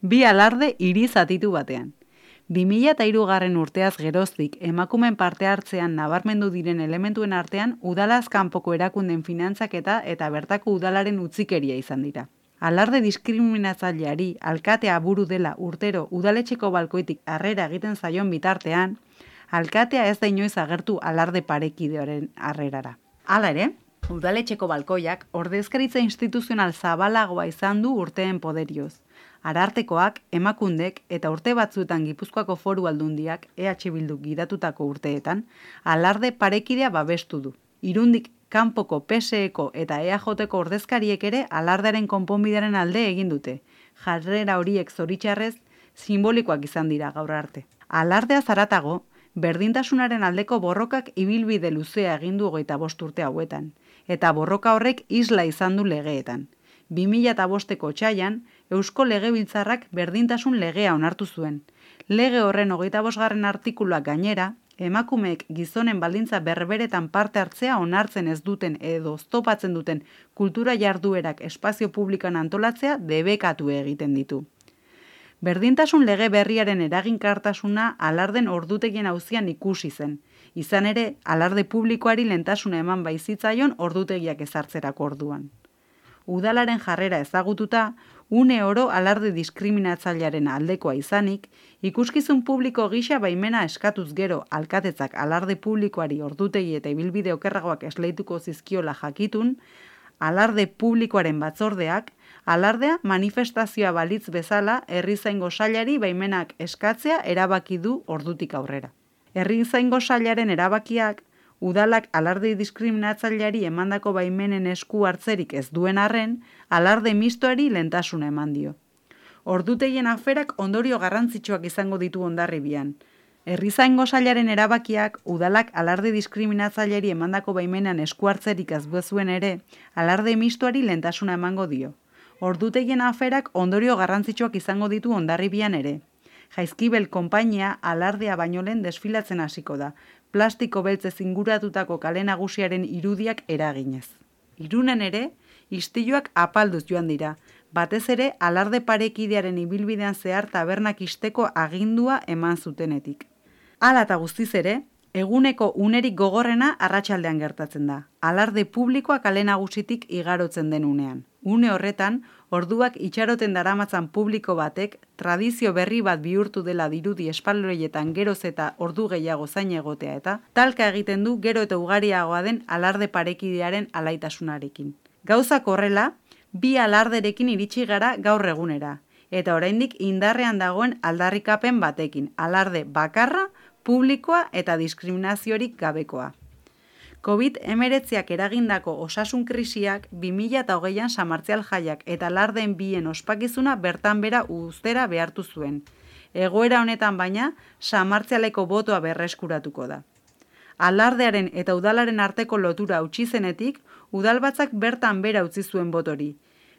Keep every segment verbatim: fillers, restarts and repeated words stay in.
Bi alarde hiri zatitu batean. bi mila hirugarren urteaz geroztik emakumeen parte hartzean nabarmendu diren elementuen artean udalaz kanpoko erakunden finantzaketa eta bertako udalaren utzikeria izan dira. Alarde diskriminatzaileari alkatea buru dela urtero udaletxeko balkoitik harrera egiten zaion bitartean, alkatea ez da inoiz agertu alarde parekidearen harrerara. Hala ere, udaletxeko balkoiak ordezkaritza instituzional zabalagoa izan du urteen poderioz. Arartekoak, emakundek eta urte batzuetan Gipuzkoako Foru Aldundiak E H Bilduk gidatutako urteetan, alarde parekidea babestu du. Irundik kanpoko P S Eko eta E A Jko ordezkariek ere alardearen konponbidearen alde egin dute. Jarrera horiek zoritxarrez simbolikoak izan dira gaur arte. Alardea zaratago, berdintasunaren aldeko borrokak ibilbide luzea egin du hogeita bost urte hauetan, eta borroka horrek isla izan du legeetan. bi mila bosteko otsailean, Eusko Legebiltzarrak berdintasun legea onartu zuen. Lege horren hogeita bosgarren artikuluak gainera, emakumeek gizonen baldintza berberetan parte hartzea onartzen ez duten edo oztopatzen duten kultura jarduerak espazio publikoan antolatzea debekatu egiten ditu. Berdintasun lege berriaren eraginkartasuna alarden ordutegien auzian ikusi zen. Izan ere, alarde publikoari lehentasuna eman baizitzaion ordutegiak ezartzerako orduan. Udalaren jarrera ezagututa, une oro alarde diskriminatzailearen aldekoa izanik, ikuskizun publiko gisa baimena eskatuz gero alkatetzak alarde publikoari ordutegi eta ibilbide okerragoak esleituko zizkiola jakitun, alarde publikoaren batzordeak, alardea manifestazioa balitz bezala herrizaingo sailari baimenak eskatzea erabaki du ordutik aurrera. Herrizaingo sailaren erabakiak, udalak alarde diskriminatzaileari emandako baimenen esku hartzerik ez duen arren, alarde mistoari lehentasuna eman dio. Ordutegien aferak ondorio garrantzitsuak izango ditu Hondarribian. Herrizaingo sailaren erabakiak udalak alarde diskriminatzaileari emandako baimenean esku hartzerik ez zuen ere, alarde mistoari lehentasuna emango dio. Ordutegien aferak ondorio garrantzitsuak izango ditu Hondarribian ere. Jaizkibel konpainia alardea baino lehen desfilatzen hasiko da, plastiko beltzez inguratutako kale nagusiaren irudiak eraginez. Irunen ere, istiluak apalduz joan dira, batez ere alarde parekidearen ibilbidean zehar tabernak isteko agindua eman zutenetik. Hala eta guztiz ere, eguneko unerik gogorrena arratsaldean gertatzen da, alarde publikoa kale nagusitik igarotzen den unean. Une horretan, orduak itxaroten daramatzan publiko batek, tradizio berri bat bihurtu dela dirudi espaloietan geroz eta ordu gehiago zain egotea eta, talka egiten du gero eta ugariagoa den alarde parekidearen alaitasunarekin. Gauzak horrela, bi alarderekin iritsi gara gaur egunera, eta oraindik indarrean dagoen aldarrikapen batekin, alarde bakarra, publikoa eta diskriminaziorik gabekoa. covid hemeretziak eragindako osasun krisiak bi mila hogeian Samartzial jaiak eta alardeen bien ospakizuna bertan bera uztera behartu zuen. Egoera honetan baina, Samartzialeko botoa berreskuratuko da. Alardearen eta udalaren arteko lotura utzi zenetik, udalbatzak bertan bera utzi zuen botori.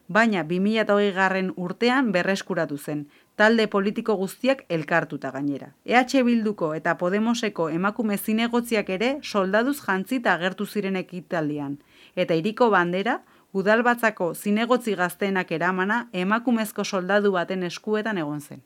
Baina bi mila hogeigarren urtean berreskuratu zen, talde politiko guztiak elkartuta gainera. E H Bilduko eta Podemoseko emakume zinegotziak ere soldaduz jantzita agertu ziren ekitaldian, eta hiriko bandera, udalbatzako zinegotzi gazteenak eramana emakumezko soldadu baten eskuetan egon zen.